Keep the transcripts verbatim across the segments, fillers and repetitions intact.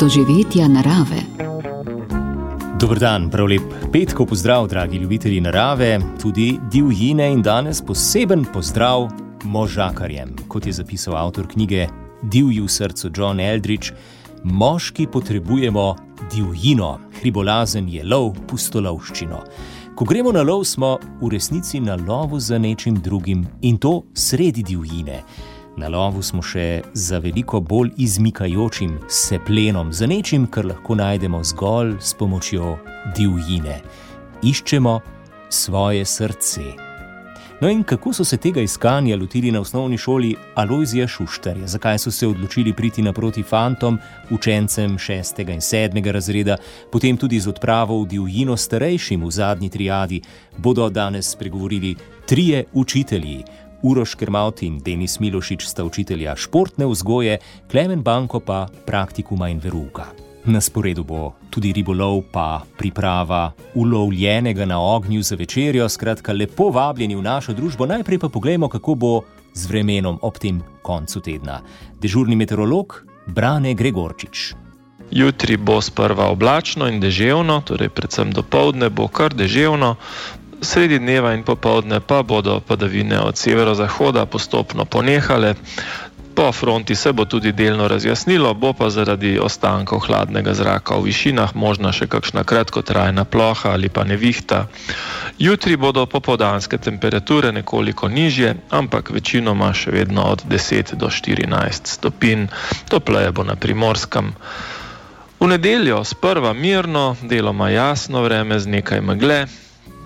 doživetja narave. Dober dan, prav lep petkov pozdrav, dragi ljubitelji narave, tudi divjine in danes poseben pozdrav možakarjem. Kot je zapisal avtor knjige Divji v srcu John Eldridge, moški potrebujemo divjino, hribolazen je lov, pustolovščino. Ko gremo na lov, smo v resnici na lovu za nečim drugim in to sredi divjine. Na lovu smo še za veliko bolj izmikajočim se plenom, za nečim, kar lahko najdemo zgolj s pomočjo divjine. Iščemo svoje srce. No in kako so se tega iskanja lotili na osnovni šoli Alojzija Šuštarja? Zakaj so se odločili priti naproti fantom, učencem šestega in sedmega razreda, potem tudi z odpravo v divjino starejšim v zadnji triadi, bodo danes spregovorili trije učitelji. Uroš Kermaut in Denis Milošič sta učitelja športne vzgoje, Klemen Banko pa praktikuma in verouka. Na sporedu bo tudi ribolov pa priprava ulovljenega na ognju za večerjo, skratka lepo vabljeni v našo družbo. Najprej pa poglejmo, kako bo z vremenom ob tem koncu tedna. Dežurni meteorolog Brane Gregorčič. Jutri bo sprva oblačno in deževno, torej predvsem dopoldne bo kar deževno. Sredi dneva in popoldne pa bodo padavine od severozahoda postopno ponehale. Po fronti se bo tudi delno razjasnilo, bo pa zaradi ostankov hladnega zraka v višinah možna še kakšna kratkotrajna ploha ali pa nevihta. Jutri bodo popoldanske temperature nekoliko nižje, ampak večinoma še vedno od deset do štirinajst stopinj. Topleje bo na Primorskem. V nedeljo sprva mirno, deloma jasno vreme z nekaj megle.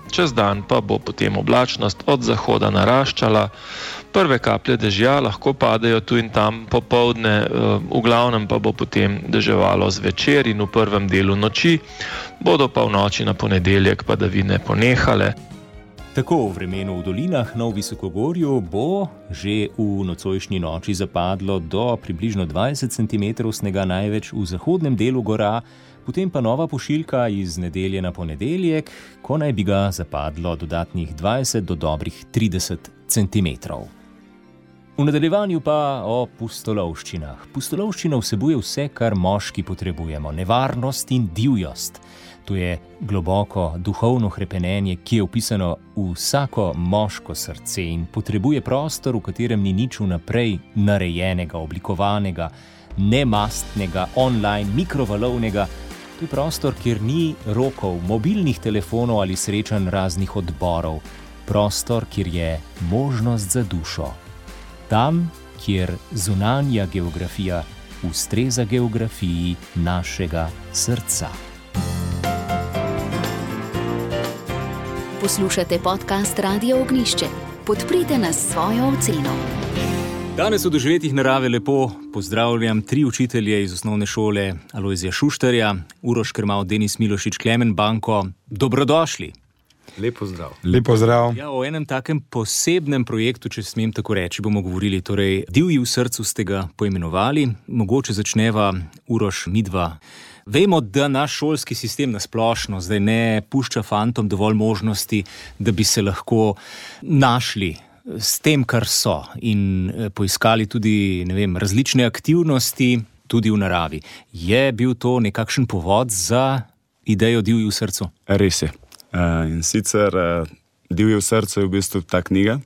Čez dan pa bo potem oblačnost od zahoda naraščala. Prve kaplje dežja lahko padejo tu in tam popoldne, v glavnem pa bo potem deževalo zvečer in v prvem delu noči, bodo pa v noči na ponedeljek padavine ponehale. Tako v vremenu v dolinah na Visokogorju bo že v nocojšnji noči zapadlo do približno dvajset centimetrov snega, največ v zahodnem delu gora, potem pa nova pošiljka iz nedelje na ponedeljek, ko naj bi ga zapadlo dodatnih dvajset do dobrih trideset centimetrov. V nadaljevanju pa o pustolovščinah. Pustolovščina vsebuje vse, kar moški potrebujemo, nevarnost in divjost. To je globoko duhovno hrepenenje, ki je vpisano v vsako moško srce in potrebuje prostor, v katerem ni nič vnaprej narejenega, oblikovanega, nemastnega, online, mikrovalovnega. To je prostor, kjer ni rokov, mobilnih telefonov ali srečanj raznih odborov. Prostor, kjer je možnost za dušo. Tam, kjer zunanja geografija ustreza geografiji našega srca. Poslušate podcast Radio Ognjišče. Podprite nas s svojo oceno. Danes v doživetjih narave lepo pozdravljam tri učitelje iz osnovne šole Alojzija Šuštarja, Uroš Kermaut, Denis Milošič, Klemen Banko. Dobrodošli. Lep pozdrav. Lep pozdrav. Ja, o enem takem posebnem projektu, če smem tako reči, bomo govorili. Torej, Divji v srcu ste ga poimenovali. Mogoče začneva, Uroš, midva. Vemo, da naš šolski sistem nasplošno zdaj ne pušča fantom dovolj možnosti, da bi se lahko našli s tem, kar so, in poiskali tudi, ne vem, različne aktivnosti tudi v naravi. Je bil to nekakšen povod za idejo Divji v srcu? Res je. Uh, in sicer uh, Divji v srcu je v bistvu ta knjiga,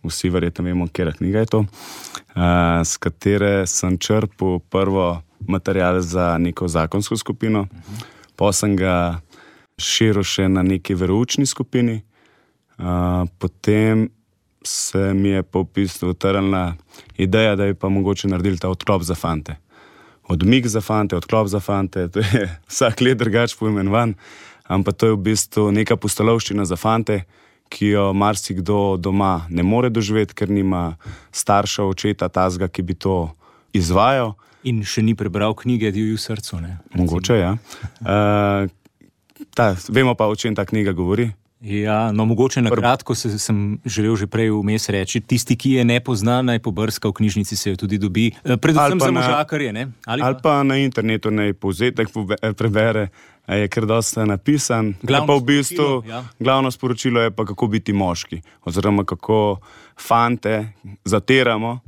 vsi verjetno vemo, katera knjiga je to, uh, s katere sem črpal prvo material za neko zakonsko skupino, uh-huh. Pa sem ga širil še na neki veroučni skupini, uh, potem se mi je po bistvu utrnila ideja, da bi pa mogoče naredili ta odklop za fante. Odmik za fante, odklop za fante, to je vsak let drugače poimenovan, ampak to je v bistvu neka pustolovščina za fante, ki jo marsikdo doma ne more doživeti, ker nima starša, očeta, tazga, ki bi to izvajal. In še ni prebral knjige Divji v srcu, ne? Mogoče, ja. Uh, ta, vemo pa, o čem ta knjiga govori. Ja, no mogoče na kratko se, sem želel že prej vmes reči, tisti, ki je ne pozna, naj pobrska, v knjižnici se jo tudi dobi, predvsem za možakarje, ne? Ali, ali pa na internetu naj povzetek prebere, je kar dosta napisan. Glavno, pa v bistvu, sporočilo, ja. Glavno sporočilo je pa, kako biti moški, oziroma kako fante zatiramo,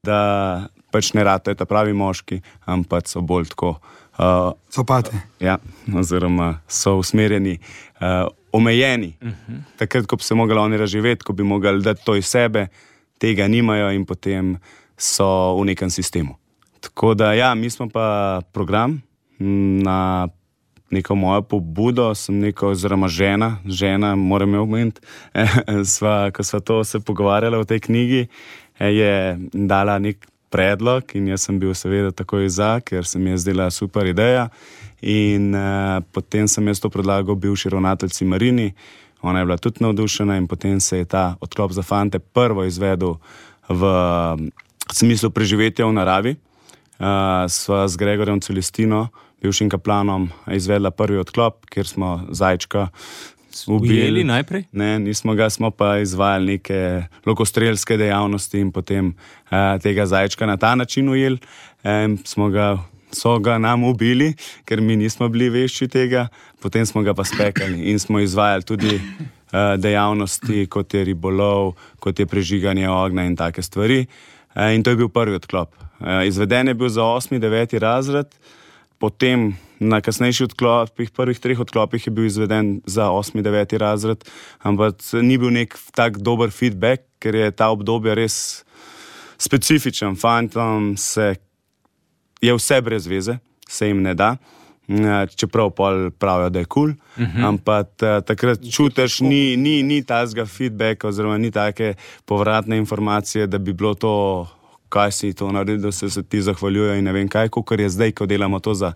da pač ne ratajo ta pravi moški, ampak so bolj tako Uh, Sopate. Ja, oziroma so usmerjeni, uh, omejeni. Uh-huh. Takrat, ko bi se mogli oni razživeti, ko bi mogli dati to iz sebe, tega nimajo in potem so v nekem sistemu. Tako da, ja, mi smo pa program na neko mojo pobudo, sem neko, oziroma žena, žena, moram jo omeniti, sva, ko sva to se pogovarjala v tej knjigi, je dala nek predlog in jaz sem bil seveda takoj za, ker se mi je zdela super ideja in uh, potem sem jaz to predlagal bivši ravnateljici Marini, ona je bila tudi navdušena in potem se je ta odklop za fante prvo izvedel v smislu preživetja v naravi. Uh, sva z Gregorjem Celestino, bivšim kaplanom, izvedla prvi odklop, kjer smo zajčka ubili. Ujeli najprej? Ne, nismo ga, smo pa izvajali neke lokostrelske dejavnosti in potem uh, tega zajčka na ta način ujeli. Um, smo ga, so ga nam ubili, ker mi nismo bili vešči tega, potem smo ga pa spekali in smo izvajali tudi uh, dejavnosti, kot je ribolov, kot je prežiganje ognja in take stvari. Uh, in to je bil prvi odklop. Uh, izveden je bil za osmi, deveti razred, potem na kasnejših odklopih, prvih treh odklopih je bil izveden za osmi, deveti razred, ampak ni bil nek tak dober feedback, ker je ta obdobje res specifičen. Fantom se je vse brez veze, se jim ne da, čeprav pol pravijo, da je kul, cool, uh-huh. ampak takrat čutiš, ni, ni, ni tazga feedbacka oziroma ni take povratne informacije, da bi bilo to, kaj si to naredil, da se, se ti zahvaljujejo in ne vem kaj, kakor je zdaj, ko delamo to za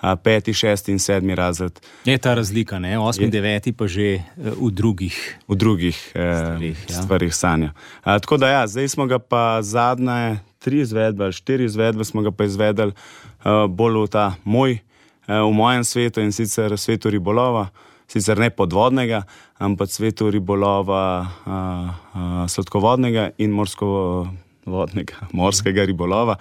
a, peti, šesti in sedmi razred. Je ta razlika, ne? Osmi, je, deveti pa že uh, v drugih v drugih stvarih, eh, ja. stvarih sanja. A, tako da ja, zdaj smo ga pa zadnje tri izvedbe ali štiri izvedbe smo ga pa izvedeli uh, bolj v ta moj, uh, v mojem svetu in sicer svetu ribolova, sicer ne podvodnega, ampak svetu ribolova uh, uh, sladkovodnega in morsko vodnega, morskega ribolova,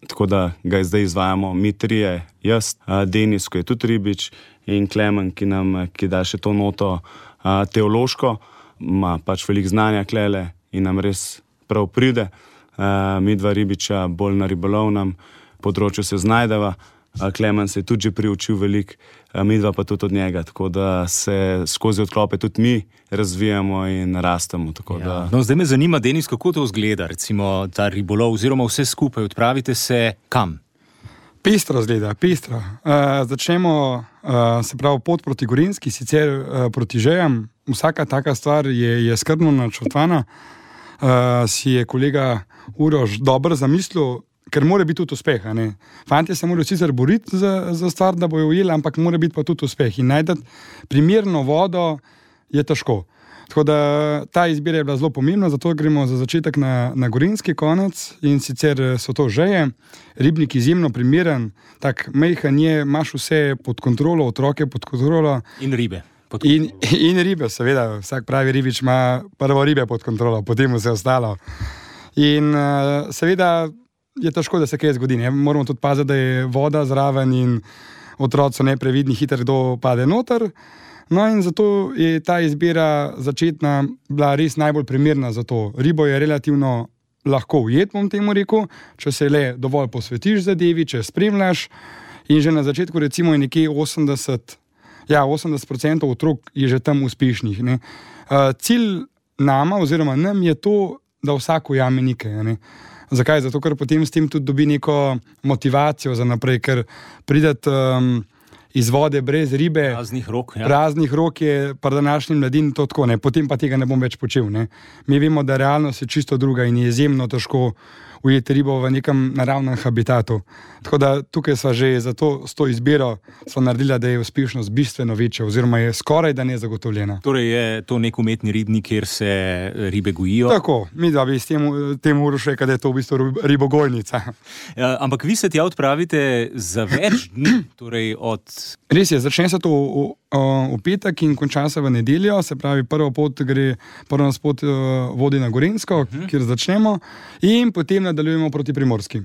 tako da ga zdaj izvajamo mi trije, jaz, Denis, ko je tudi ribič, in Klemen, ki nam ki da še to noto a, teološko, ima pač veliko znanja klele in nam res prav pride. A, mi dva ribiča bolj na ribolovnem področju se znajdeva, a Klemen se je tudi že priučil veliko, mi dva pa tudi od njega, tako da se skozi odklope tudi mi razvijamo in rastemo. Tako ja. da... No, zdaj me zanima, Denis, kako to izgleda, recimo ta ribolov oziroma vse skupaj, odpravite se kam? Pestro izgleda, pestro. Uh, začnemo, uh, se pravi, pot proti Gorenjski, sicer uh, proti Žejam. Vsaka taka stvar je, je skrbno načrtovana. Uh, si je kolega Uroš dobro zamislil, ker mora biti tudi uspeh. Fantje se morajo sicer boriti za, za stvar, da bojo ujeli, ampak mora biti pa tudi uspeh. In najti primerno vodo je težko. Tako da ta izbira je bila zelo pomembna, zato gremo za začetek na, na Gorenjski konec in sicer so to Žeje. Ribnik izjemno primeren, tak mejhan je, imaš vse pod kontrolo, otroke pod kontrolo. In ribe. In, in ribe, seveda, vsak pravi ribič ima prvo ribe pod kontrolo, potem vse ostalo. In uh, seveda je težko, da se kaj zgodi. Ne? Moramo tudi paziti, da je voda zraven in otroci so neprevidni, hitro kdo pade noter. No in zato je ta izbira začetna bila res najbolj primerna za to. Ribo je relativno lahko ujet, bom temu rekel, če se le dovolj posvetiš zadevi, če spremljaš. In že na začetku recimo je nekje osemdeset, ja, osemdeset procentov otrok je že tam uspešnih. Ne? Uh, cilj nama oziroma nam je to, da vsak ujame nekaj. Ne? Zakaj? Zato, ker potem s tem tudi dobi neko motivacijo za naprej, ker prideti um, iz vode brez ribe, praznih rok, ja. praznih rok je pri današnjim mladini to tako, ne? Potem pa tega ne bom več počel. Ne? Mi vemo, da realnost je čisto druga in je izjemno težko ujeti ribo v nekem naravnem habitatu. Tako da tukaj sva že za to, s to izbiro sva naredila, da je uspešnost bistveno večja oziroma je skoraj da nezagotovljena. Torej je to nek umetni ribnik, kjer se ribe gojijo? Tako, mi da bi s tem, tem Uroš rekel, da je to v bistvu ribogojnica. Ja, ampak vi se tja odpravite za več dni, torej od... Res je, začne se to v, v petek in konča se v nedeljo, se pravi prvo pot gre, prvo nas pot vodi na Gorenjsko, uh-huh. kjer začnemo in potem nadaljujemo proti Primorski.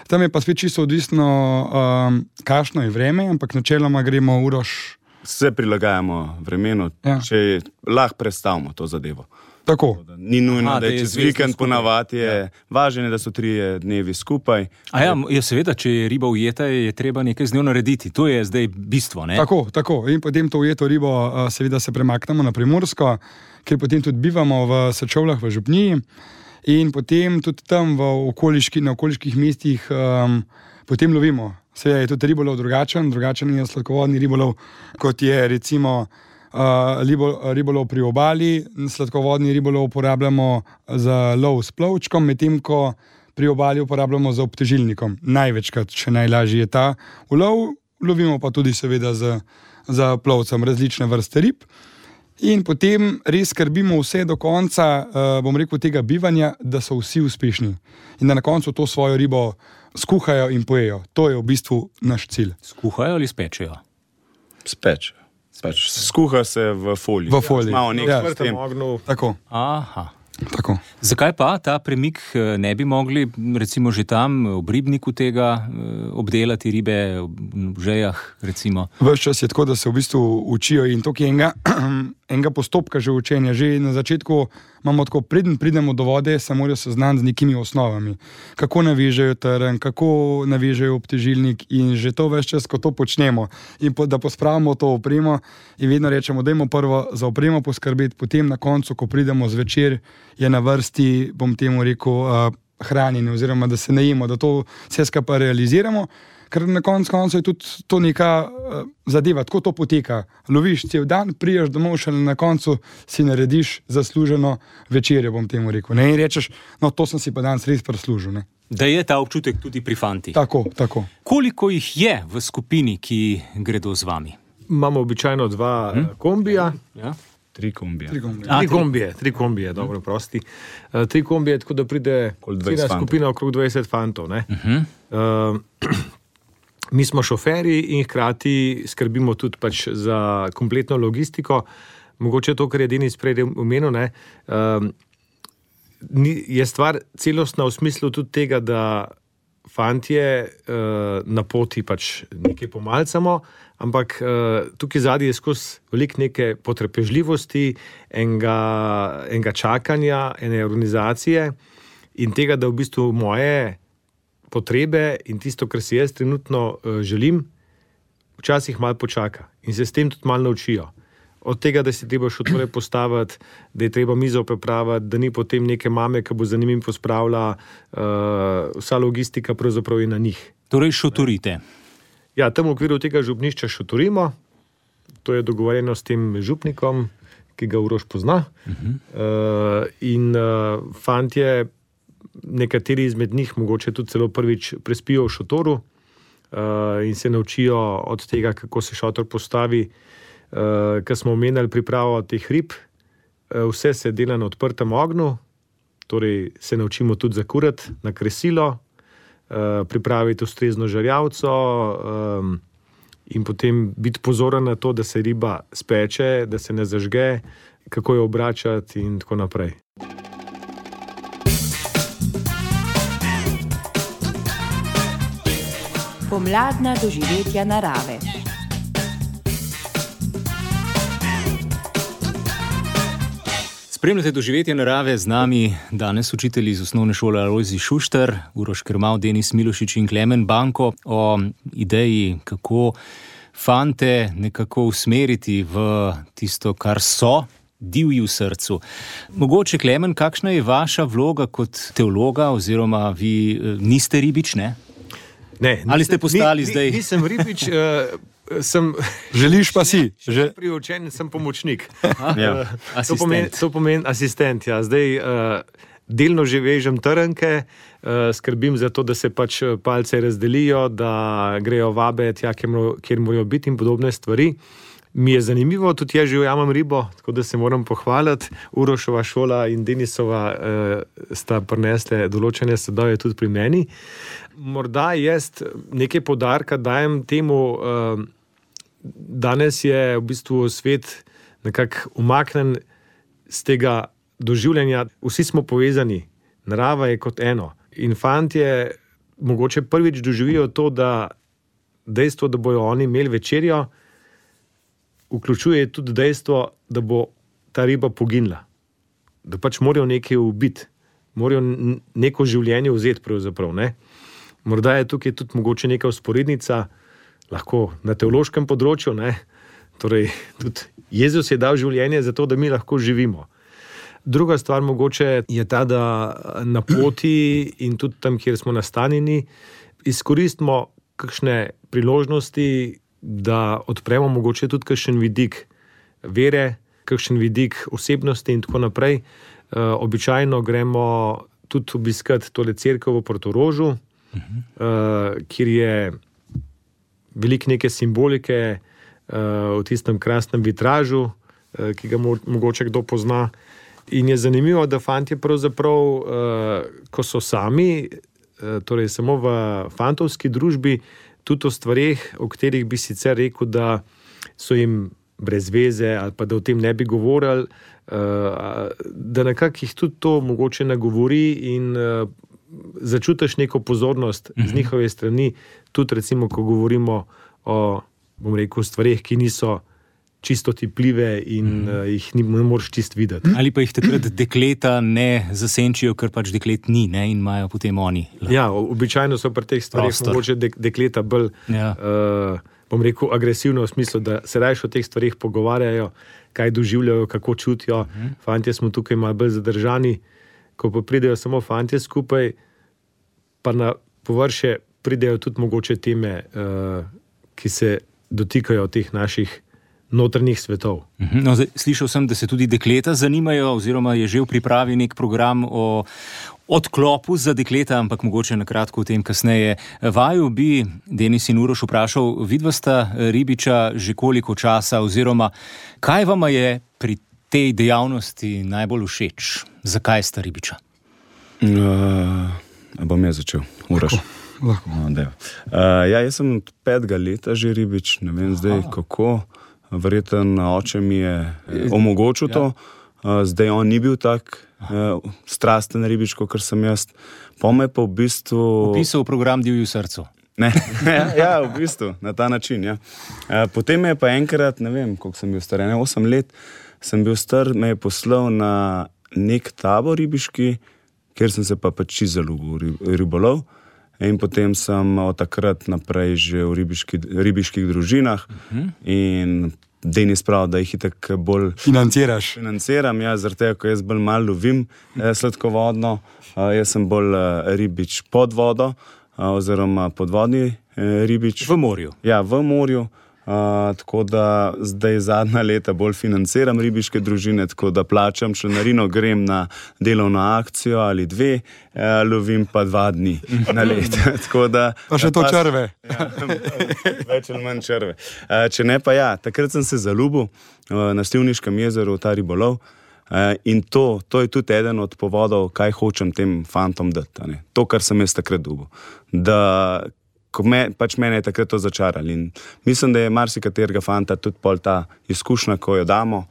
Tam je pa spet čisto odvisno, um, kakšno je vreme, ampak načeloma gremo Uroš. Se prilagajamo vremenu, ja. Če lahko predstavimo to zadevo. Tako. Ni nujno, Aha, da je čez vikend ponavadi, je važno, da so trije dnevi skupaj. A ja, ja, seveda, če je riba ujeta, je treba nekaj z njo narediti. To je zdaj bistvo, ne? Tako, tako. In potem to ujeto ribo seveda se premaknemo na Primorsko, kjer potem tudi bivamo v Sečovljah v Župniji in potem tudi tam v okoliški, na okoliških mestih um, potem lovimo. Seveda je tudi ribolov drugačen, drugačen je sladkovodni ribolov, kot je recimo uh, ribolov pri obali. Sladkovodni ribolov uporabljamo za lov s plovčkom, medtem ko pri obali uporabljamo za obtežilnikom. Največkrat, še najlažje je ta ulov, lovimo pa tudi seveda za, za plovcem različne vrste rib. In potem res skrbimo vse do konca, uh, bom rekel, tega bivanja, da so vsi uspešni. In da na koncu to svojo ribo skuhajo in pojejo. To je v bistvu naš cilj. Skuhajo ali spečejo? Spečejo. Pač skuha se v foliji. V foliji. Malo nekaj Ja. s tem. Tako, Aha. tako. Zakaj pa ta premik ne bi mogli, recimo že tam, ob ribniku tega obdelati ribe, v žejah, recimo? Ves čas je tako, da se v bistvu učijo in to je enega, enega postopka že učenja. Že na začetku imamo tako, preden pridemo do vode, se morajo seznaniti z nekimi osnovami. Kako navežejo trn, kako navežejo obtežilnik in že to ves čas, ko to počnemo in po, da pospravimo to opremo in vedno rečemo, dajmo prvo za opremo poskrbeti, potem na koncu, ko pridemo zvečer, je na vrsti, bom temu rekel, uh, hranjenje oziroma da se najemo, da to vse skupaj realiziramo, ker na koncu koncu je tudi to neka uh, zadeva, tako to poteka. Loviš cel dan, priješ domov, šele na koncu si narediš zasluženo večerjo, bom temu rekel. Ne? In rečeš, no to sem si pa danes res prislužil. Ne? Da je ta občutek tudi pri fantih. Tako, tako. Koliko jih je v skupini, ki gredo z vami? Imamo običajno dva hm? kombija. Ja? Tri kombije. Tri kombije. A, Tri tri. kombije, tri kombije, dobro, prosti. Uh, tri kombije, tako da pride dvajset cela skupina okrog dvajset fantov. Ne? Uh-huh. Uh, mi smo šoferji in hkrati skrbimo tudi pač za kompletno logistiko. Mogoče to, kar je Denis prej omenil, ne, uh, ni, je stvar celostna v smislu tudi tega, da fantje uh, na poti pač nekaj pomalcamo, ampak uh, tukaj zadnji je skozi veliko neke potrpežljivosti, enega, enega čakanja, ene organizacije in tega, da v bistvu moje potrebe in tisto, kar si jaz trenutno uh, želim, včasih malo počaka in se s tem tudi malo naučijo. Od tega, da si treba šotore postaviti, da je treba mizo pripraviti, da ni potem neke mame, ki bo za njimi pospravila, uh, vsa logistika pravzaprav je na njih. Torej šotorite. Ja, tam v okviru tega župnišča šotorimo, to je dogovorjeno s tem župnikom, ki ga Uroš pozna. Uh-huh. Uh, in uh, fantje, nekateri izmed njih, mogoče tudi celo prvič prespijo v šotoru uh, in se naučijo od tega, kako se šotor postavi. Uh, Ker smo omenjali pripravo teh rib, uh, vse se dela na odprtem ognju, torej se naučimo tudi zakurati na kresilo, uh, pripraviti ustrezno žarjavco um, in potem biti pozoren na to, da se riba speče, da se ne zažge, kako jo obračati in tako naprej. Pomladna doživetja narave. Spremljate doživetje narave, z nami danes učitelji iz osnovne šole Alojzij Šuštar, Uroš Krmav, Denis Milošič in Klemen Banko o ideji, kako fante nekako usmeriti v tisto, kar so, divji v srcu. Mogoče, Klemen, kakšna je vaša vloga kot teologa, oziroma vi niste ribič, ne? Ne, Ali ste postali ni, zdaj? Ni, nisem ribič, uh, sem... Želiš pa si. Že priučen, sem pomočnik. Ja, to, pomeni, to pomeni asistent. Ja. Zdaj uh, delno že vežem trnke, uh, skrbim za to, da se pač palce razdelijo, da grejo vabe tja, kjer morajo biti in podobne stvari. Mi je zanimivo, tudi jaz že ujamem ribo, tako da se moram pohvaliti. Urošova šola in Denisova uh, sta prinesle določene sadove tudi pri meni. Morda jaz nekaj poudarka dajem temu, uh, danes je v bistvu svet nekako umaknen z tega doživljanja. Vsi smo povezani, narava je kot eno. In fantje mogoče prvič doživijo to, da dejstvo, da bojo oni imeli večerjo, vključuje tudi dejstvo, da bo ta riba poginila. da pač morajo nekaj ubiti, morajo neko življenje vzeti pravzaprav, ne. Morda je tukaj tudi mogoče neka vzporednica, lahko na teološkem področju, ne. Torej, tudi Jezus je dal življenje za to, da mi lahko živimo. Druga stvar mogoče je ta, da na poti in tudi tam, kjer smo nastanjeni, izkoristimo kakšne priložnosti, da odpremo mogoče tudi kakšen vidik vere, kakšen vidik osebnosti in tako naprej. E, običajno gremo tudi obiskati tole cerkev v Portorožu, uh-huh. e, kjer je veliko neke simbolike e, v tistem krasnem vitražu, e, ki ga mo- mogoče kdo pozna. In je zanimivo, da fantje pravzaprav, e, ko so sami, e, torej samo v fantovski družbi, tudi o stvareh, o katerih bi sicer rekel, da so jim brez veze ali pa da o tem ne bi govorili, da nekako jih tudi to mogoče nagovori in začutiš neko pozornost z njihove strani, tudi recimo, ko govorimo o, bom rekel, stvareh, ki niso čisto tipljive in mm. jih ni, ne moreš čist videti. Ali pa jih takrat dekleta ne zasenčijo, ker pač deklet ni, ne, in imajo potem oni. Ja, običajno so pri teh stvareh mogoče dek, dekleta bolj, ja. uh, bom rekel, agresivno v smislu, da se rajš o teh stvareh pogovarjajo, kaj doživljajo, kako čutijo. Mm. Fantje smo tukaj malo bolj zadržani, ko pa pridejo samo fantje skupaj, pa na površje pridejo tudi mogoče teme, uh, ki se dotikajo teh naših notrnih svetov. No, zdaj, slišal sem, da se tudi dekleta zanimajo, oziroma je že v pripravi nek program o odklopu za dekleta, ampak mogoče na kratko o tem kasneje. Vaju bi, Denis in Uroš, vprašal, vidva sta ribiča že koliko časa, oziroma kaj vama je pri tej dejavnosti najbolj všeč? Zakaj sta ribiča? Uh, bom jaz začel, Uroš. Lahko. No, uh, ja, jaz sem od petega leta že ribič, ne vem zdaj kako. Verjeten oče mi je omogočil to, ja. Zdaj on ni bil tak uh, strasten ribič, kot sem jaz. Pome pa v bistvu... Opisal program Divju srcu. Ne, ja, ja, v bistvu, na ta način, ja. Uh, potem me je pa enkrat, ne vem, koliko sem bil star, ne, osem let, sem bil star, me je poslal na nek tabor ribiški, kjer sem se pa pač zaljubil ribolov. In potem sem od takrat naprej že v ribiški, ribiških družinah uh-huh. in Denis pravi, da jih itak bolj financiraš. Financiram, ja, zaradi tega, ko jaz bolj malo lovim eh, sladkovodno, eh, jaz sem bolj eh, ribič pod vodo, eh, oziroma podvodni eh, ribič. V morju. Ja, v morju. Uh, tako da zdaj zadnja leta bolj financiram ribiške družine, tako da plačam članarino, grem na delovno akcijo ali dve, uh, lovim pa dva dni na let. da, pa še to pa, črve. Ja, več ali manj črve. Uh, če ne pa ja, takrat sem se zaljubil uh, na Slivniškem jezeru v ta ribolov uh, in to, to je tudi eden od povodov, kaj hočem tem fantom dati. Ne? To, kar sem jaz takrat dobil. Da Me, pač mene je takrat to začarali in mislim, da je marsikaterega fanta tudi pol ta izkušnja, ko jo damo,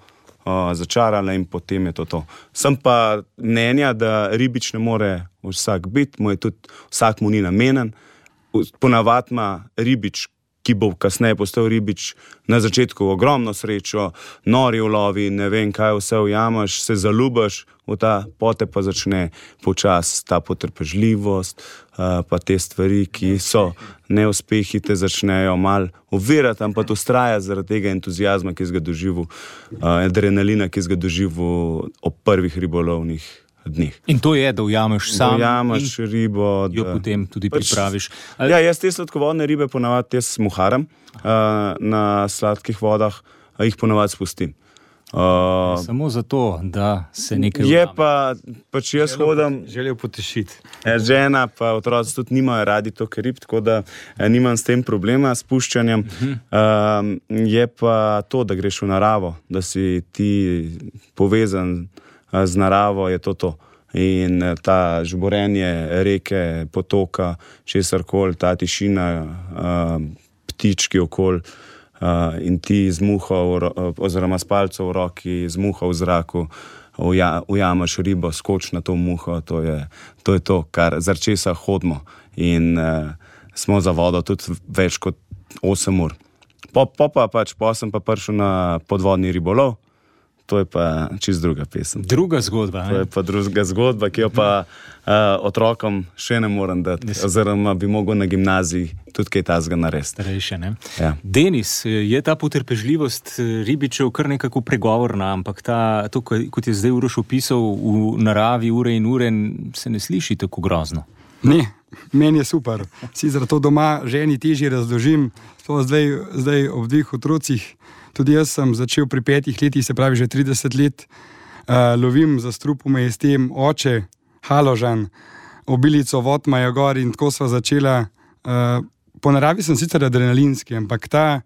uh, začarala in potem je to to. Sem pa mnenja, da ribič ne more vsak biti, mu je tudi vsak mu ni namenen. Ponavadi ima ribič, ki bo kasneje postal ribič, na začetku ogromno srečo, nori ulovi, ne vem kaj vse ujamaš, se zaljubiš v ta, pote pa začne počas ta potrpežljivost, uh, pa te stvari, ki so neuspehi, te začnejo mal ovirati, ampak ustraja zaradi tega entuzijazma, ki si ga doživel, uh, adrenalina, ki si ga doživel ob prvih ribolovnih dneh. In to je, da ujameš sam ujameš in ribo, jo da, potem tudi pač, pripraviš. Ali... Ja, jaz te sladkovodne ribe ponavadi jaz smuharam uh, na sladkih vodah, a jih ponavadi spustim. Uh, Samo zato, da se nekaj je ujame. pa, pač jaz hodam... Želijo potešiti. Žena pa otroci tudi nimajo radi toliko rib, tako da nimam s tem problema s puščanjem. Uh-huh. Uh, je pa to, da greš v naravo, da si ti povezan z naravo, je to to. In ta žborenje reke, potoka, česarkoli, ta tišina, ptički okoli in ti z muho, oziroma s palco v roki, z muho v zraku, ujamaš ribo, skoč na to muho, to je to, je to kar zaradi česa hodimo. In smo za vodo tudi več kot osem ur. Po, po pa pač, po sem pa prišel na podvodni ribolov, to je pa čist druga pesem. Druga zgodba. To je pa druga zgodba, ki jo pa uh, otrokom še ne morem dati, oziroma bi mogel na gimnaziji tudi kaj tazga narediti. Starejše, ne? Ja. Denis, je ta potrpežljivost ribičev kar nekako pregovorna, ampak ta, to, kot je zdaj Uroš opisal, v naravi ure in ure, se ne sliši tako grozno. Ne, meni je super. Sicer to doma ženi težje razložim, to zdaj, zdaj ob dveh otrocih. Tudi jaz sem začel pri petih letih, se pravi že trideset let, uh, lovim za strupome s tem oče, Haložan, obilico Votmaja gor in tako sva začela. Uh, po naravi sem sicer adrenalinski, ampak ta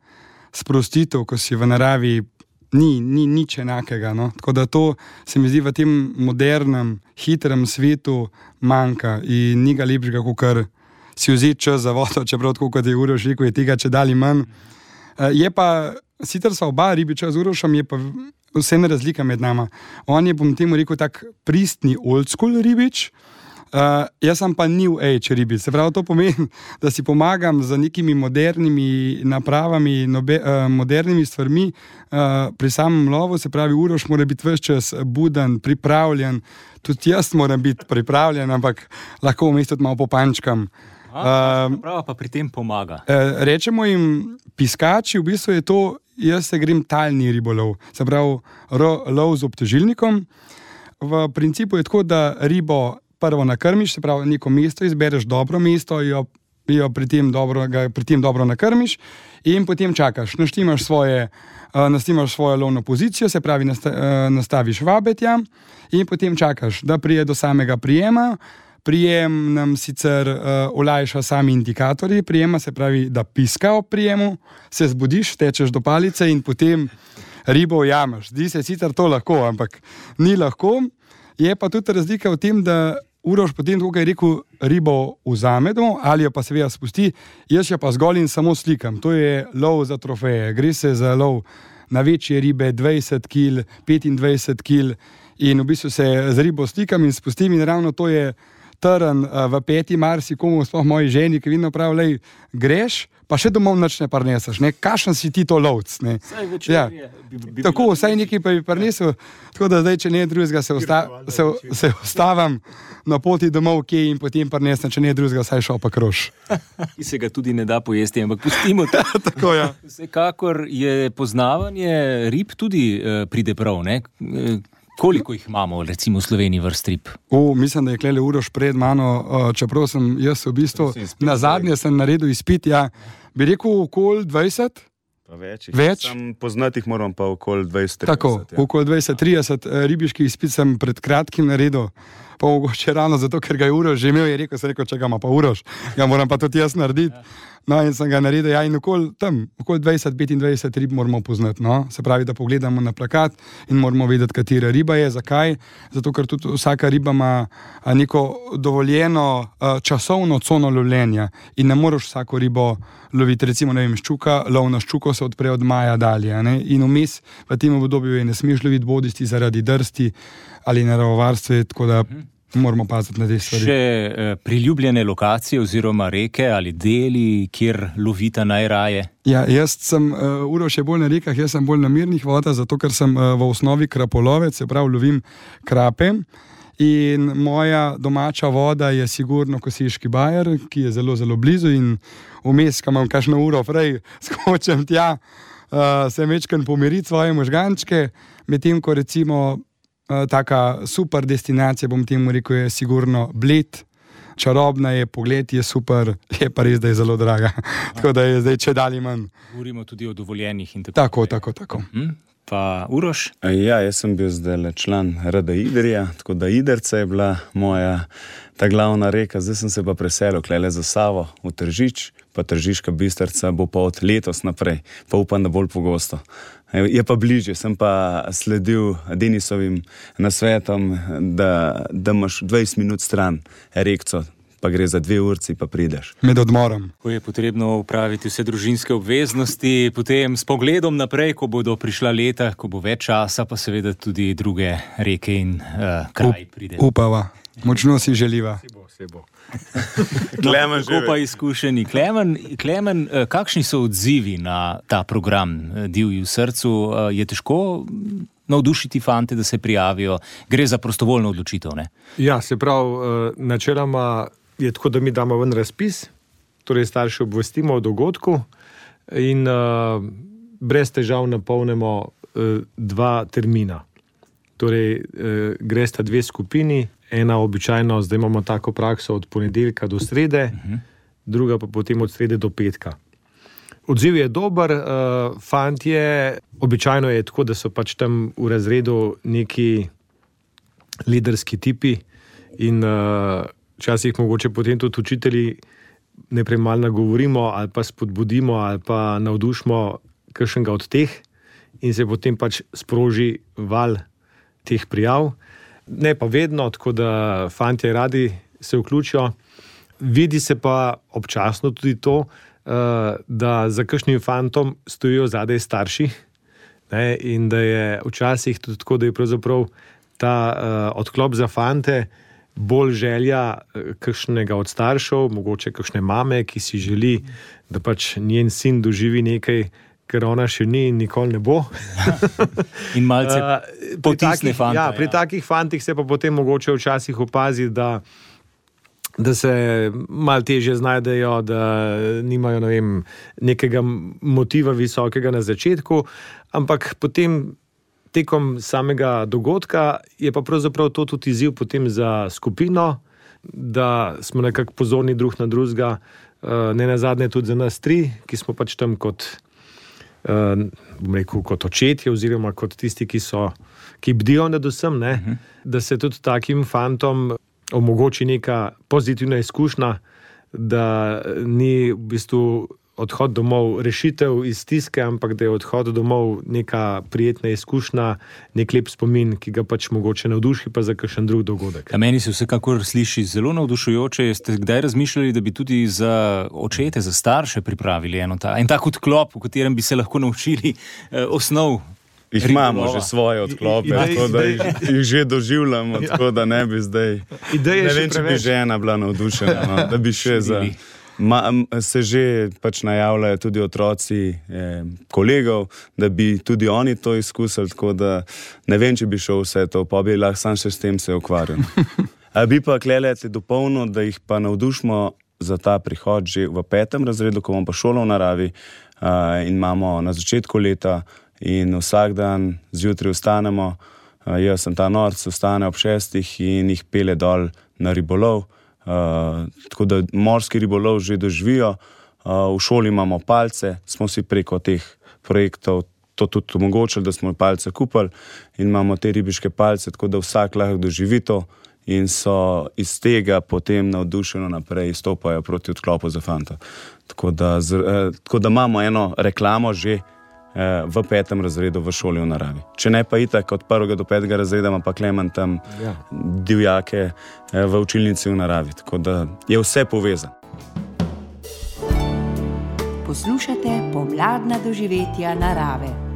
sprostitev, ko si v naravi, ni, ni nič enakega. No? Tako da to se mi zdi v tem modernem, hitrem svetu manjka in ni ga lepšega, kot si vzeti čas za vodo, čeprav tako, kot je Uroš rekel, je tega če dali manj. Uh, je pa, sicer sva oba ribiča z Urošem, je pa vseeno razlika med nama. On je, bom temu rekel, tak pristni old school ribič, uh, jaz sem pa new age ribič. Se pravi, to pomeni, da si pomagam z nekimi modernimi napravami, nobe, uh, modernimi stvarmi uh, pri samem lovu. Se pravi, Uroš mora biti ves čas buden, pripravljen, tudi jaz moram biti pripravljen, ampak lahko vmes tudi malo popančkam. Aha, uh, prav pa pri tem pomaga. Uh, rečemo jim piskači, v bistvu je to, jaz se grem talni ribolov, se pravi ro, lov z obtežilnikom. V principu je tako, da ribo prvo nakrmiš, se pravi neko mesto izbereš, dobro mesto, jo, jo pri, tem dobro, ga pri tem dobro nakrmiš in potem čakaš, naštimaš svoje, uh, naštimaš svojo lovno pozicijo, se pravi nasta, uh, nastaviš vabetja in potem čakaš, da prije do samega prijema. Prijem nam sicer uh, olajša sami indikatorji prijema, se pravi, da piska ob prijemu, se zbudiš, tečeš do palice in potem ribo ujameš. Zdi se sicer to lahko, ampak ni lahko. Je pa tudi razlika v tem, da Uroš potem, kako je rekel, ribo vzame domov ali jo pa seveda spusti, jaz jo pa zgolj in samo slikam. To je lov za trofeje. Gre se za lov na večje ribe, dvajset kil, petindvajset kil in v bistvu se z ribo slikam in spustim in ravno to je trn uh, v peti marsikomu, sploh moji ženi, ki vidno pravi, lej, greš, pa še domov nič ne parneseš, ne, kakšen si ti to lovc, ne. Saj večer ja. je. Bi, bi tako, vsaj nekaj pa bi parnesel, tako da zdaj, če ne drugega, se, osta, se, se ostavam na poti domov, kje in potem parnesem, če ne drugega, saj šel pa krož. Ki se ga tudi ne da pojesti, ampak pustimo to. Tako, ja. Vsekakor je poznavanje rib tudi uh, pride prav, ne. Koliko jih imamo, recimo v Sloveniji vrst rib? O, mislim, da je klele Uroš pred mano, čeprav sem jaz v bistvu, na zadnje sem naredil izpit, ja, bi rekel okoli dvajset? Pa več. Več? Sam poznati jih moram pa okoli dvajset trideset. Tako, ja. Okoli dvajset trideset ribiških izpit sem pred kratkim naredil, pa mogoče ravno zato, ker ga je Uroš že imel, je rekel, sem rekel, če ga ima pa Uroš, ga moram pa tudi jaz narediti. No, in sem ga naredil, ja, in okoli tam, okoli dvajset petindvajset rib moramo poznati, no. Se pravi, da pogledamo na plakat in moramo vedeti, katera riba je, zakaj. Zato, ker tudi vsaka riba ima neko dovoljeno časovno cono lovljenja in ne moreš vsako ribo loviti, recimo, ne vem, ščuka, lov na ščuko se odpre od maja dalje, ne. In vmes v tem obdobju je ne smeš loviti bodisti zaradi drsti ali naravovarstve, tako da moramo paziti na te stvari. Še eh, priljubljene lokacije oziroma reke ali deli, kjer lovita najraje? Ja, jaz sem, uh, Uroš je bolj na rekah, jaz sem bolj na mirnih vodah, zato ker sem uh, v osnovi krapolovec, se pravi, lovim krape. In moja domača voda je sigurno Kosiški bajer, ki je zelo, zelo blizu in vmes, ko imam kakšno uro prej, skočem tja, uh, se mečkam pomiriti svoje možgančke, medtem ko recimo Uh, taka super destinacija, bom temu rekel, je sigurno Bled, čarobna je, pogled je super, je pa res, da je zelo draga, tako da je zdaj če dalje manj. Govorimo tudi o dovoljenih in tako. Tako, tako, tako. Hm? Pa Uroš? Ja, jaz sem bil zdaj član R D Idrija, tako da Idrca je bila moja ta glavna reka, zdaj sem se pa preselil klele za Savo v Tržič, pa Tržiška Bistrica bo pa od letos naprej, pa upam, da bolj pogosto. Je pa bližje, sem pa sledil Denisovim nasvetom, da, da imaš dvajset minut stran rekco, pa gre za dve urci, pa prideš. Med odmorom. Ko je potrebno upraviti vse družinske obveznosti, potem s pogledom naprej, ko bodo prišla leta, ko bo več časa, pa seveda tudi druge reke in uh, kraj pride. Up, upava, močno si želiva. Se bo, se bo. Klemen, kako pa izkušeni. Klemen, Klemen, kakšni so odzivi na ta program Divji v srcu? Je težko navdušiti fante, da se prijavijo? Gre za prostovoljno odločitev, ne? Ja, se pravi, načeloma je tako, da mi damo ven razpis, torej starši obvestimo o dogodku in uh, brez težav napolnimo uh, dva termina. Torej, uh, gre sta dve skupini, ena običajno, zdaj imamo tako prakso od ponedeljka do srede, uh-huh. druga pa potem od srede do petka. Odziv je dober, uh, fantje, običajno je tako, da so pač tam v razredu neki liderski tipi in uh, včasih mogoče potem tudi učitelji najprej malo nagovorimo ali pa spodbudimo ali pa navdušimo kakšnega od teh in se potem pač sproži val teh prijav. Ne pa vedno, tako da fantje radi se vključijo. Vidi se pa občasno tudi to, da za kakšnim fantom stojijo zadaj starši, ne, in da je včasih tudi tako, da je pravzaprav ta uh, odklop za fante bolj želja kakšnega od staršev, mogoče kakšne mame, ki si želi, da pač njen sin doživi nekaj, ker ona še ni in nikoli ne bo. In malce uh, potisne fante. Ja, pri ja. takih fantih se pa potem mogoče včasih opazi, da da se malo težje znajdejo, da nimajo, ne vem, nekega motiva visokega na začetku, ampak potem tekom samega dogodka je pa pravzaprav to tudi izziv potem za skupino, da smo nekako pozorni drug na drugega, ne nazadnje tudi za nas tri, ki smo pač tam kot, bom rekel, kot očetje oziroma kot tisti, ki so, ki bdijo nad vsem, ne, uh-huh. da se tudi takim fantom omogoči neka pozitivna izkušnja, da ni v bistvu odhod domov rešitev iz stiske, ampak da je odhod domov neka prijetna izkušnja, nek lep spomin, ki ga pač mogoče navduši pa za kakšen drug dogodek. A meni se vsekakor sliši zelo navdušujoče. Ste kdaj razmišljali, da bi tudi za očete, za starše pripravili eno ta, en tak odklop, v katerem bi se lahko naučili eh, osnov? Jih imamo že svoje odklope, I, tako da jih, jih že doživljamo, ja. Tako da ne bi zdaj, ideje ne vem, če bi žena bila navdušena, no, da bi še za... Ma, se že pač najavljajo tudi otroci eh, kolegov, da bi tudi oni to izkusili, tako da ne vem, če bi šel vse to, pa bi lahko sam še s tem se ukvarjal. A bi pa klelete dopolnil, da jih pa navdušimo za ta prihod že v petem razredu, ko bomo pa šolo v naravi uh, in imamo na začetku leta in vsak dan zjutraj vstanemo, uh, jaz sem ta norc, vstane ob šestih in jih pele dol na ribolov. Uh, tako da morski ribolov že doživijo, uh, v šoli imamo palce, smo si preko teh projektov to tudi omogočili, da smo palce kupili in imamo te ribiške palce, tako da vsak lahko doživi to in so iz tega potem navdušeno naprej stopajo proti odklopu za fanta. Tako da, z, eh, tako da imamo eno reklamo že eh, v petem razredu v šoli v naravi. Če ne pa itak od prvega do petega razreda ima pa Klemen tam ja. divjake eh, v učilnici v naravi. Tako da je vse povezano. Poslušate pomladna doživetja narave.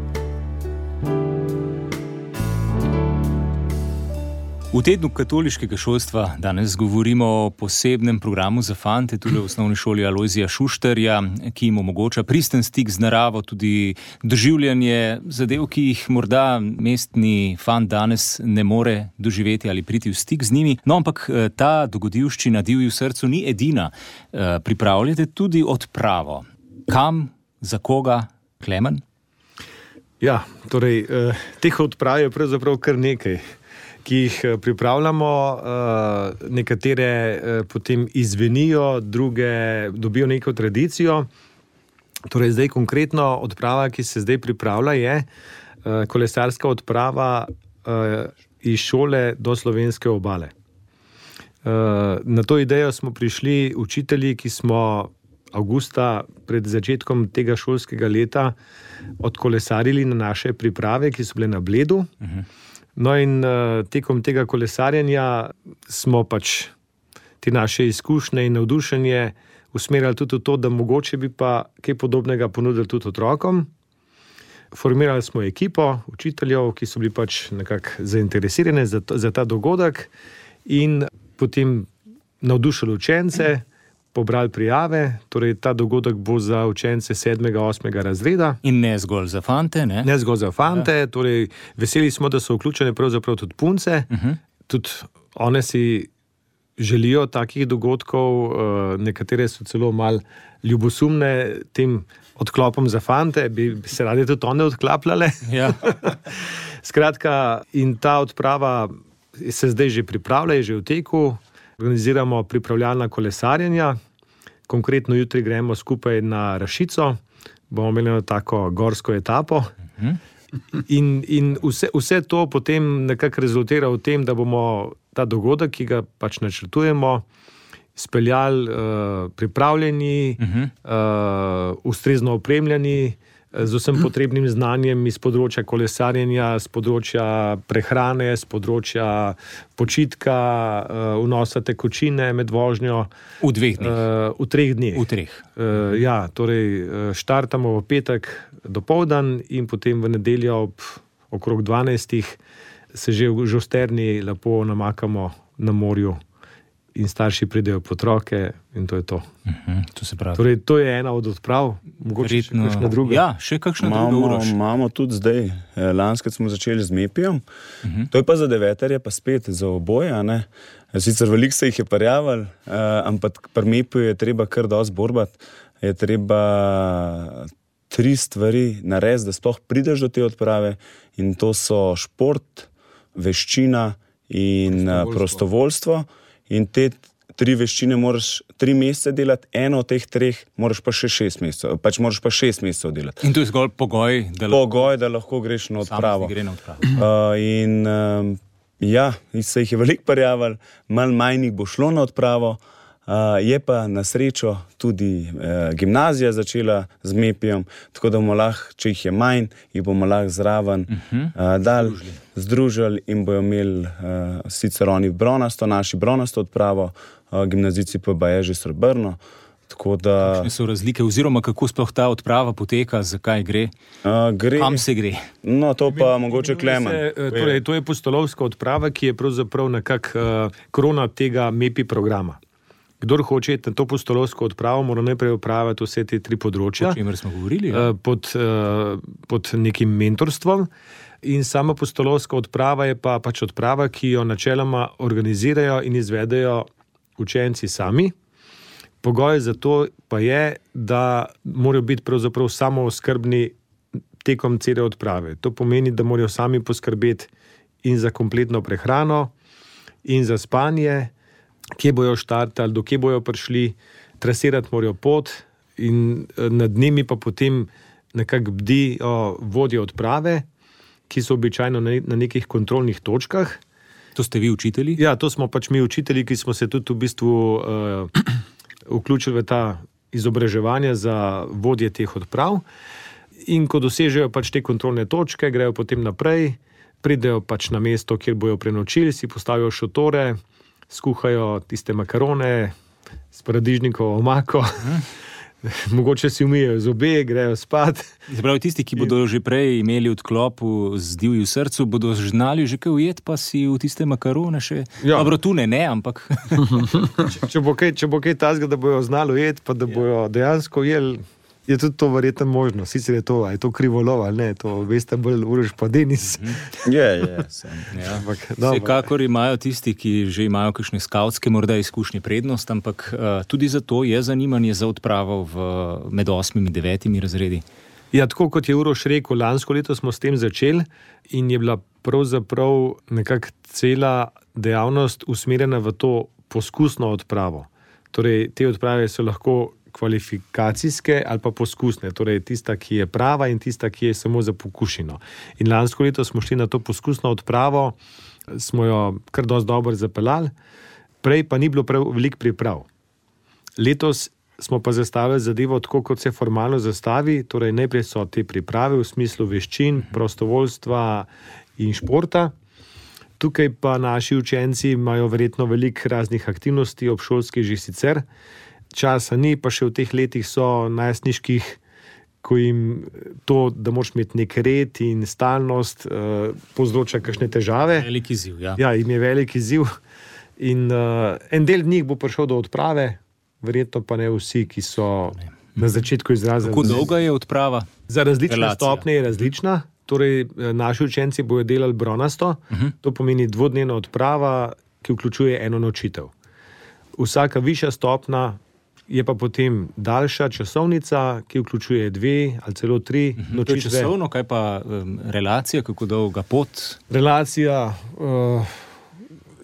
V tednu katoliškega šolstva danes govorimo o posebnem programu za fante tudi v osnovni šoli Alojzija Šuštarja, ki jim omogoča pristen stik z naravo, tudi doživljanje zadev, ki jih morda mestni fant danes ne more doživeti ali priti v stik z njimi. No, ampak ta dogodivščina Divji v srcu ni edina. Pripravljate tudi odpravo. Kam, za koga, Klemen? Ja, torej, teh odprav je pravzaprav kar nekaj, ki jih pripravljamo, nekatere potem izvenijo, druge dobijo neko tradicijo. Torej, zdaj konkretno odprava, ki se zdaj pripravlja, je kolesarska odprava iz šole do slovenske obale. Na to idejo smo prišli učitelji, ki smo avgusta pred začetkom tega šolskega leta odkolesarili na naše priprave, ki so bile na Bledu. Uh-huh. No in uh, tekom tega kolesarjenja smo pač te naše izkušnje in navdušenje usmerjali tudi v to, da mogoče bi pa kaj podobnega ponudili tudi otrokom. Formirali smo ekipo učiteljev, ki so bili pač nekako zainteresirani za, to, za ta dogodek in potem navdušili učence, pobrali prijave, torej ta dogodek bo za učence sedmega, osmega razreda. In ne zgolj za fante, ne? Ne zgolj za fante, ja. Torej veseli smo, da so vključene pravzaprav tudi punce, uh-huh. Tudi one si želijo takih dogodkov, nekatere so celo malo ljubosumne tem odklopom za fante, bi se radi tudi one odklapljale. Ja. Skratka, in ta odprava se zdaj že pripravlja, je že v teku. Organiziramo pripravljalna kolesarjenja, konkretno jutri gremo skupaj na Rašico, bomo imeli eno tako gorsko etapo. Uh-huh. In, in vse, vse to potem nekako rezultira v tem, da bomo ta dogodek, ki ga pač načrtujemo, speljali uh, pripravljeni, uh-huh. uh, ustrezno opremljeni, z vsem potrebnim znanjem iz področja kolesarjenja, z področja prehrane, z področja počitka, uh, vnosa tekočine med vožnjo. V dveh dneh. Uh, v treh dneh. V treh. Uh, ja, torej štartamo v petek dopoldan in potem v nedeljo ob okrog dvanajstih se že v Žosterni lepo namakamo na morju in starši pridejo po otroke in to je to. Uh-huh, to se pravi. Torej, to je ena od odprav, mogoče Verjetno, še kakšna druga. Ja, še kakšna druga Uroš. Imamo tudi zdaj, lanskrat smo začeli z Mepijem, uh-huh. To je pa za deveterje, pa spet za oboje, ne. Sicer veliko se jih je parjaval, ampak pri Mepiju je treba kar dosti borbati, je treba tri stvari narediti, da sploh prideš do te odprave in to so šport, veščina in prostovoljstvo. prostovoljstvo. In te tri veščine moraš tri mesece delati, eno od teh treh moraš pa še šest mesecev, pač moraš pa šest mesecev delati. In to je zgolj pogoj, da lahko, pogoj, da lahko greš na odpravo. Gre na odpravo. Uh, in um, ja, se jih je veliko parjaval, malo manj jih bo šlo na odpravo, uh, je pa na srečo tudi uh, gimnazija začela z Mepijem, tako da bomo lahko, če jih je manj, jih bomo lahko zraven uh-huh. uh, dal, združili in bojo imeli uh, sicer oni bronasto, naši bronasto odpravo, uh, gimnazijci pa baje že srebrno. Tako da... Kakšne so razlike, oziroma kako sploh ta odprava poteka, zakaj gre? Uh, gre... Kam se gre? No, to pa Imen, mogoče Klemen. Se, torej, to je pustolovska odprava, ki je pravzaprav nekak uh, krona tega Mepi programa. Kdor hoče na to pustolovsko odpravo, mora najprej opraviti vse te tri področja. O čemer smo govorili, ja? pod, pod nekim mentorstvom. In sama pustolovska odprava je pa pač odprava, ki jo načeloma organizirajo in izvedejo učenci sami. Pogoj za to pa je, da morajo biti pravzaprav samooskrbni tekom cele odprave. To pomeni, da morajo sami poskrbeti in za kompletno prehrano, in za spanje, kje bojo štartali, do kje bojo prišli, trasirati morajo pot in nad njimi pa potem nekako bdijo vodje odprave, ki so običajno na nekih kontrolnih točkah. To ste vi učitelji? Ja, to smo pač mi učitelji, ki smo se tudi v bistvu uh, vključili v ta izobraževanja za vodje teh odprav. In ko dosežejo pač te kontrolne točke, grejo potem naprej, pridejo pač na mesto, kjer bojo prenočili, si postavijo šotore, skuhajo tiste makarone s paradižnikovo omako, hmm. mogoče si umijejo zobe, grejo spat. Zapravi, tisti, ki bodo že prej imeli odklopu z divji v srcu, bodo znali že kaj ujet, pa si v tiste makarone še... Ja. Dobro, tu ne, ne, ampak... če, če bo kaj, če bo kaj tazga, da bojo znali ujet, pa da bojo dejansko jeli, je tudi to verjetno možno. Sicer je to, a je to krivolov ali ne, to veste bolj Uroš pa Denis. Je, je. Ja. Vsekakor imajo tisti, ki že imajo kakšne skavtske morda izkušnje prednost, ampak uh, tudi zato je zanimanje za odpravo v, med osmimi, devetimi razredi. Ja, tako kot je Uroš rekel, lansko leto smo s tem začeli in je bila pravzaprav nekako cela dejavnost usmerjena v to poskusno odpravo. Torej, te odprave so lahko kvalifikacijske ali pa poskusne, torej tista, ki je prava in tista, ki je samo za pokušino. In lansko leto smo šli na to poskusno odpravo, smo jo kar dosti dobro zapeljali, prej pa ni bilo prav veliko priprav. Letos smo pa zastavili zadevo tako, kot se formalno zastavi, torej najprej so te priprave v smislu veščin, prostovoljstva in športa. Tukaj pa naši učenci imajo verjetno veliko raznih aktivnosti obšolskih že sicer, časa ni, pa še v teh letih so najstniških, ko jim to, da moraš imeti nek red in stalnost, uh, povzroča kakšne težave. Veliki izziv, ja. Ja, jim je veliki izziv. In uh, en del njih bo prišel do odprave, verjetno pa ne vsi, ki so na začetku izrazili. Kako dolga je odprava? Za različne Relacija. stopnje je različna. Torej, naši učenci bodo delali bronasto, uh-huh. to pomeni dvodnevna odprava, ki vključuje eno nočitev. Vsaka višja stopna je pa potem daljša časovnica, ki vključuje dve ali celo tri uh-huh. nočitve. To je časovno, kaj pa um, relacija, kako dolga pot? Relacija, uh,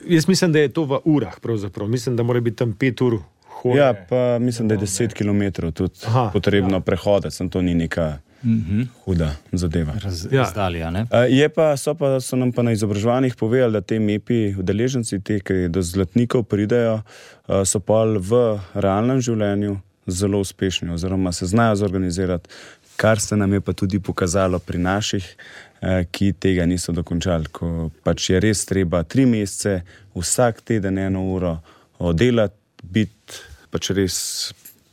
jaz mislim, da je to v urah pravzaprav. Mislim, da mora biti tam pet ur hoje. Ja, pa mislim, da je deset kilometrov tudi Aha, potrebno ja. prehoditi, sem to ni neka mm-hmm. huda zadeva. Raz, ja. Razdalja, ne? Uh, je pa, so, pa, so nam pa na izobraževanjih povedali, da te M E P I udeleženci, te, ki do zlatnikov pridejo, uh, so pa v realnem življenju zelo uspešni oziroma se znajo zorganizirati, kar se nam je pa tudi pokazalo pri naših, uh, ki tega niso dokončali, ko pač je res treba tri mesece, vsak teden eno uro oddelati, biti pač res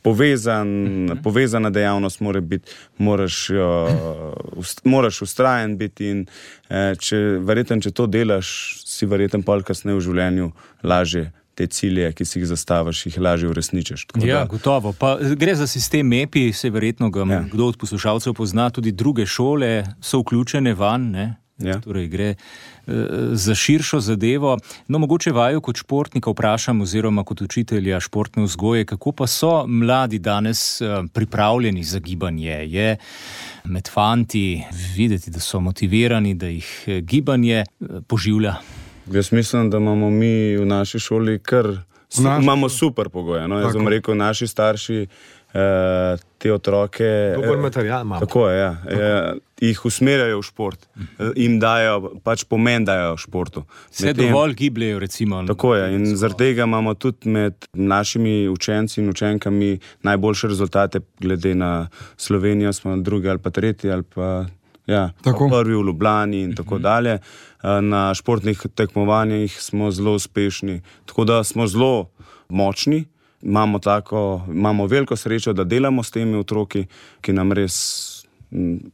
povezan, mm-hmm. povezana dejavnost mora biti, moraš, uh, ust, moraš ustrajen biti in uh, če, verjetno, če to delaš, si verjetno pol kasneje v življenju lažje te cilje, ki si jih zastaviš, jih lažje uresničiš. Ja, da... gotovo. Pa gre za sistem M E P I, se verjetno ga ja. kdo od poslušalcev pozna, tudi druge šole so vključene van, ne? Ja. Torej gre uh, za širšo zadevo. No, mogoče vaju kot športnika vprašam oziroma kot učitelja športne vzgoje, kako pa so mladi danes uh, pripravljeni za gibanje? Je med fanti videti, da so motivirani, da jih gibanje uh, poživlja? Jaz mislim, da imamo mi v naši šoli kar su, naši... imamo super pogoje. No? Jaz bom rekel, naši starši Uh, te otroke dober material imamo. Tako je, ja. Uh, jih usmerjajo v šport, uh, jim dajo, pač pomen dajo v športu. Se dovolj gibljajo, recimo. Tako je, in zaradi tega imamo tudi med našimi učenci in učenkami najboljše rezultate, glede na Slovenijo, smo drugi ali pa tretji ali pa ja, prvi v Ljubljani in tako dalje. Uh, na športnih tekmovanjih smo zelo uspešni, tako da smo zelo močni. Imamo, tako, imamo veliko srečo, da delamo s temi otroki, ki nam res,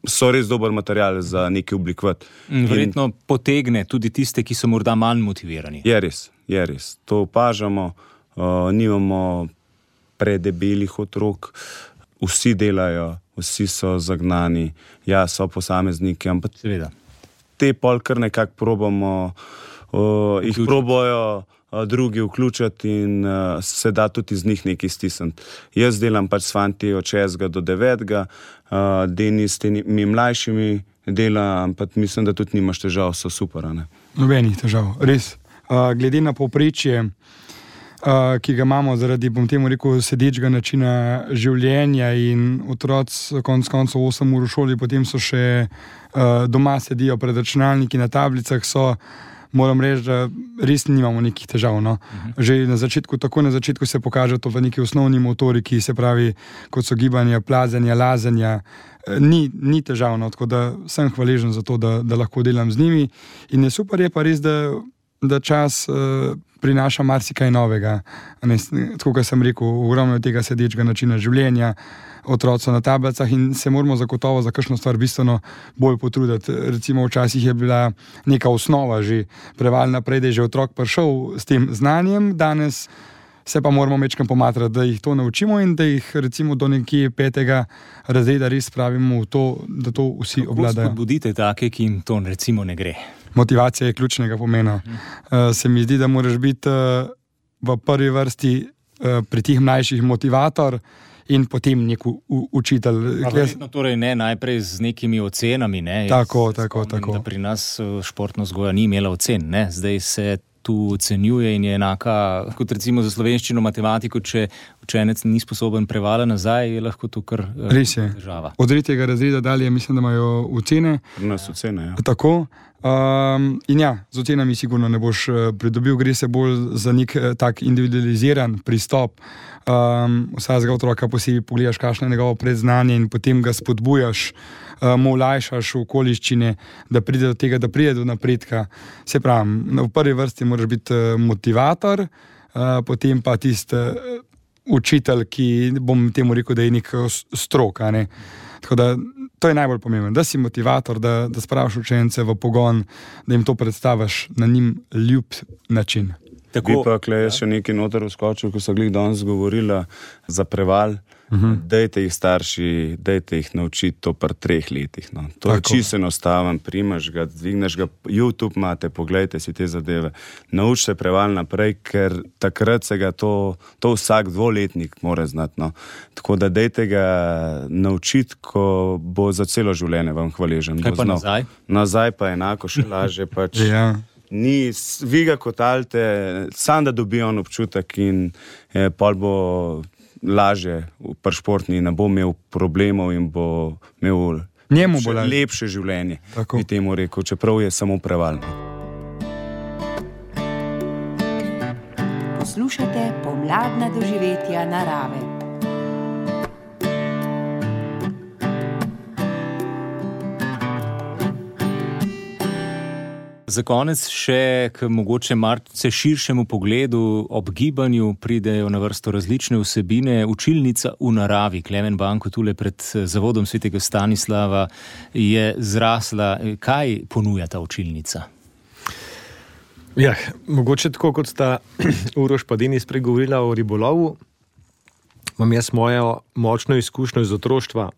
so res dober material za nekaj oblikovati. Verjetno in potegne tudi tiste, ki so morda manj motivirani. Je res, je res. To opažamo, uh, nimamo predebelih otrok, vsi delajo, vsi so zagnani, ja, so posamezniki, ampak seveda. Te pol kar nekako probamo, uh, jih probojo drugi vključiti in uh, se da tudi iz njih nekaj stisniti. Jaz delam pač s fanti od šestega do devetega, uh, Deni s temi mlajšimi dela, ampak mislim, da tudi nimaš težav, so super, ne? Nobenih težav, res. Uh, glede na povprečje, uh, ki ga imamo zaradi, bom temu rekel, sedečega načina življenja in otroci konc koncev osem ur v šoli, potem so še uh, doma sedijo pred računalniki, na tablicah so, moram reči, da res nimamo nekih težav. No. Uh-huh. Že na začetku, tako na začetku se pokaže to v neki osnovni motoriki, se pravi, kot so gibanja, plazenja, lazenja, ni, ni težavno, tako da sem hvaležen za to, da, da lahko delam z njimi. In je super, je pa res, da, da čas uh, prinaša marsikaj novega. Ne, tako, kot sem rekel, ogromno tega sedečega načina življenja, otroci na tablicah in se moramo zagotovo za kakšno stvar bistveno bolj potruditi. Recimo včasih je bila neka osnova že prevalj naprej, da je že otrok prišel s tem znanjem, danes se pa moramo mečkam pomatrati, da jih to naučimo in da jih recimo do nekje petega razreda res spravimo v to, da to vsi obvladajo. Kako spodbudite take, ki jim to recimo ne gre? Motivacija je ključnega pomena. Uh, se mi zdi, da moraš biti uh, v prvi vrsti uh, pri tih mlajših motivator in potem nek učitelj. Verjetno torej ne najprej z nekimi ocenami, ne? Tako, tako, tako. Da pri nas športna vzgoja ni imela ocen, ne? Zdaj se tu ocenjuje in je enaka, kot recimo za slovenščino, matematiko, če učenec ni sposoben prevala nazaj, je lahko to kar res je. Država. Od tretjega razreda dalje mislim, da imajo ocene. Pri nas ocene, ja. Tako. Um, in ja, z ocenami sigurno ne boš pridobil, gre se bolj za nek tak individualiziran pristop. Um, vsakega otroka posebej pogledaš, kakšno je njegovo predznanje in potem ga spodbujaš, uh, mu olajšaš okoliščine, da pride do tega, da pride do napredka. Se pravi, v prvi vrsti moraš biti motivator, uh, potem pa tisti uh, učitelj, ki bom temu rekel, da je nek strok, ne? Tako da to je najbolj pomembno, da si motivator, da, da spraviš učence v pogon, da jim to predstaviš na njim ljub način. Tako, bi pa klej ja. še nekaj noter vskočil, ko so glih danes govorila za preval. Uh-huh. Dajte jih starši, dajte jih naučiti to pri treh letih. No. To Tako. je čisto enostaven, primaš ga, dvigneš ga, YouTube imate, pogledajte si te zadeve. Naučite preval naprej, ker takrat se ga to, to vsak dvoletnik mora znati. No. Tako da dajte ga naučiti, ko bo za celo življenje vam hvaležen. Kaj pa znal. nazaj? Nazaj pa enako še laže. Pač ja. Ni, vi ga kotalte, sam da dobi on občutek in eh, pol bo laže pri športni, ne bo imel problemov in bo imel Njemu bo lepše življenje, bi temu rekel, čeprav je samo prevalno. Poslušate pomladna doživetja narave. Za konec še k mogoče malce širšemu pogledu. Ob gibanju pridejo na vrsto različne vsebine. Učilnica v naravi, Klemen Banko, tule pred zavodom svetega Stanislava, je zrasla. Kaj ponuja ta učilnica? Ja, mogoče tako, kot sta Uroš pa Denis spregovorila o ribolovu, imam jaz mojo močno izkušnjo iz otroštva,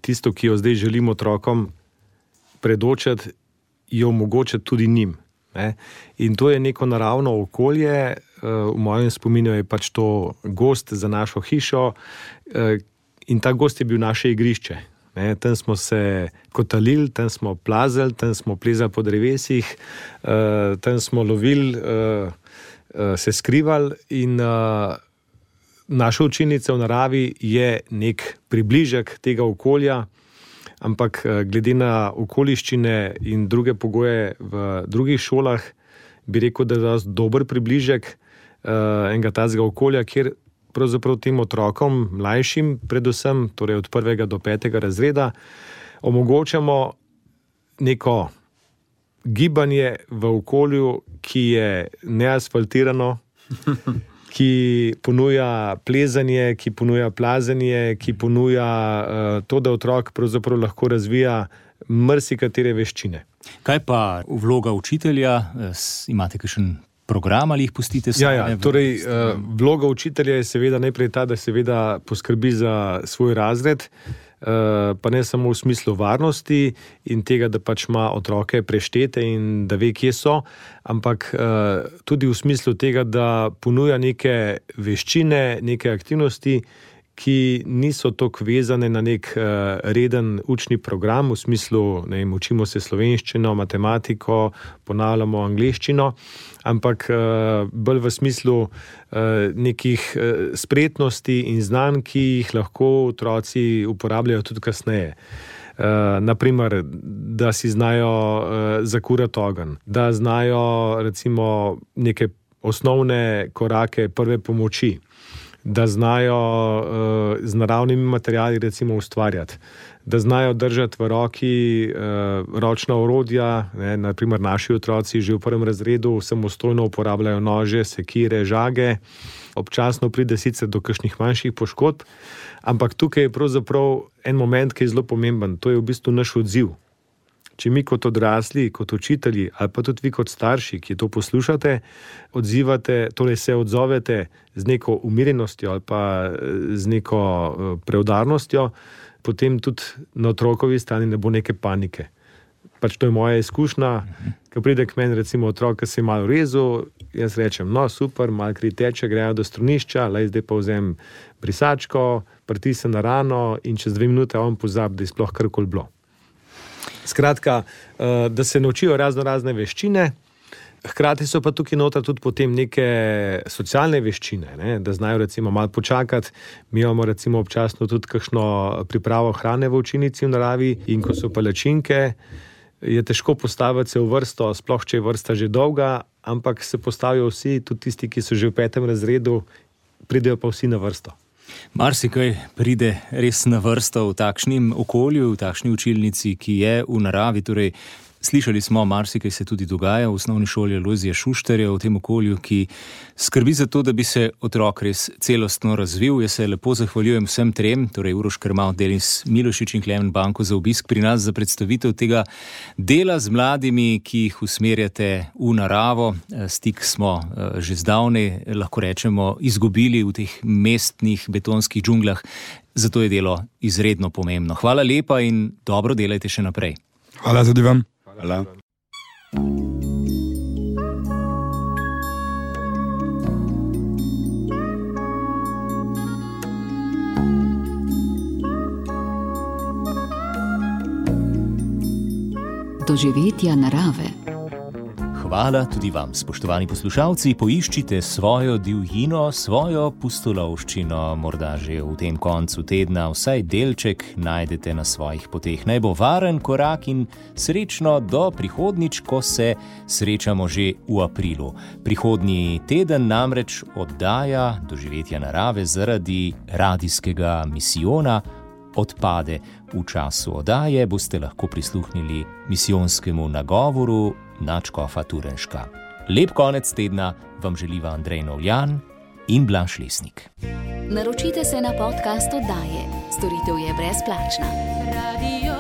tisto, ki jo zdaj želim otrokom predočati, jo omogočati tudi njim. Ne? In to je neko naravno okolje, v mojem spominu je pač to gozd za našo hišo in ta gozd je bil naše igrišče. Ne? Tam smo se kotalili, tam smo plazali, tam smo plezali po drevesih, tam smo lovili, se skrivali in naša učilnica v naravi je nek približek tega okolja, ampak glede na okoliščine in druge pogoje v drugih šolah, bi rekel, da je to dober približek uh, enega tazga okolja, kjer pravzaprav tem otrokom, mlajšim predvsem, torej od prvega do petega razreda, omogočamo neko gibanje v okolju, ki je neasfaltirano, ki ponuja plezanje, ki ponuja plazanje, ki ponuja uh, to, da otrok pravzaprav lahko razvija marsikatere veščine. Kaj pa vloga učitelja? Imate kakšen program ali jih pustite same? Ja, ja. Torej, uh, vloga učitelja je seveda najprej ta, da seveda poskrbi za svoj razred, uh, pa ne samo v smislu varnosti in tega, da pač ima otroke preštete in da ve, kje so, ampak uh, tudi v smislu tega, da ponuja neke veščine, neke aktivnosti, ki niso toliko vezane na nek uh, reden učni program, v smislu, ne vem, učimo se slovenščino, matematiko, ponavljamo angleščino, ampak uh, bolj v smislu uh, nekih uh, spretnosti in znanj, ki jih lahko otroci uporabljajo tudi kasneje. Uh, naprimer, da si znajo uh, zakurati ogenj, da znajo recimo neke osnovne korake prve pomoči, da znajo uh, z naravnimi materiali recimo ustvarjati, da znajo držati v roki uh, ročna orodja, ne, naprimer naši otroci že v prvem razredu samostojno uporabljajo nože, sekire, žage, občasno pride sicer do kakšnih manjših poškodb, ampak tukaj je pravzaprav en moment, ki je zelo pomemben, to je v bistvu naš odziv. Če mi kot odrasli, kot učitelji ali pa tudi vi kot starši, ki to poslušate, odzivate, torej se odzovete z neko umirjenostjo ali pa z neko preudarnostjo, potem tudi na otrokovi strani ne bo neke panike. Pač to je moja izkušnja, ko pride k meni recimo otrok, ki se je malo rezal, jaz rečem, no super, malo kri teče, grejo do strunišča, lej zdaj pa vzem brisačko, pritisnem na rano in čez dve minute on pozabi, da je sploh karkoli bilo. Skratka, da se naučijo razno razne veščine, hkrati so pa tukaj noter tudi potem neke socialne veščine, ne? Da znajo recimo malo počakati. Mi imamo recimo občasno tudi kakšno pripravo hrane v učilnici v naravi in ko so palačinke, je težko postaviti se v vrsto, sploh če je vrsta že dolga, ampak se postavijo vsi, tudi tisti, ki so že v petem razredu, pridejo pa vsi na vrsto. Marsikaj pride res na vrsto v takšnem okolju, v takšni učilnici, ki je v naravi. Torej, Slišali smo, marsikaj se tudi dogaja v osnovni šoli Alojzija Šuštarja v tem okolju, ki skrbi za to, da bi se otrok res celostno razvil. Jaz se lepo zahvaljujem vsem trem, torej Uroš Krmavt, Denis Milošič in Klemen Banko za obisk pri nas, za predstavitev tega dela z mladimi, ki jih usmerjate v naravo. Stik smo že zdavnaj, lahko rečemo, izgubili v teh mestnih betonskih džunglah, zato je delo izredno pomembno. Hvala lepa in dobro delajte še naprej. Hvala tudi vam. Hvala. Doživetja narave. Hvala tudi vam, spoštovani poslušalci. Poiščite svojo divjino, svojo pustolovščino, morda že v tem koncu tedna, vsaj delček najdete na svojih poteh. Naj bo varen korak in srečno do prihodnjič, ko se srečamo že v aprilu. Prihodnji teden namreč oddaja Doživetja narave zaradi radijskega misijona odpade. V času oddaje boste lahko prisluhnili misijonskemu nagovoru nadškofa Turnška. Lep konec tedna vam želiva Andrej Novljan in Blaž Lesnik. Naročite se na podcast oddaje. Storitev je brezplačna. Radio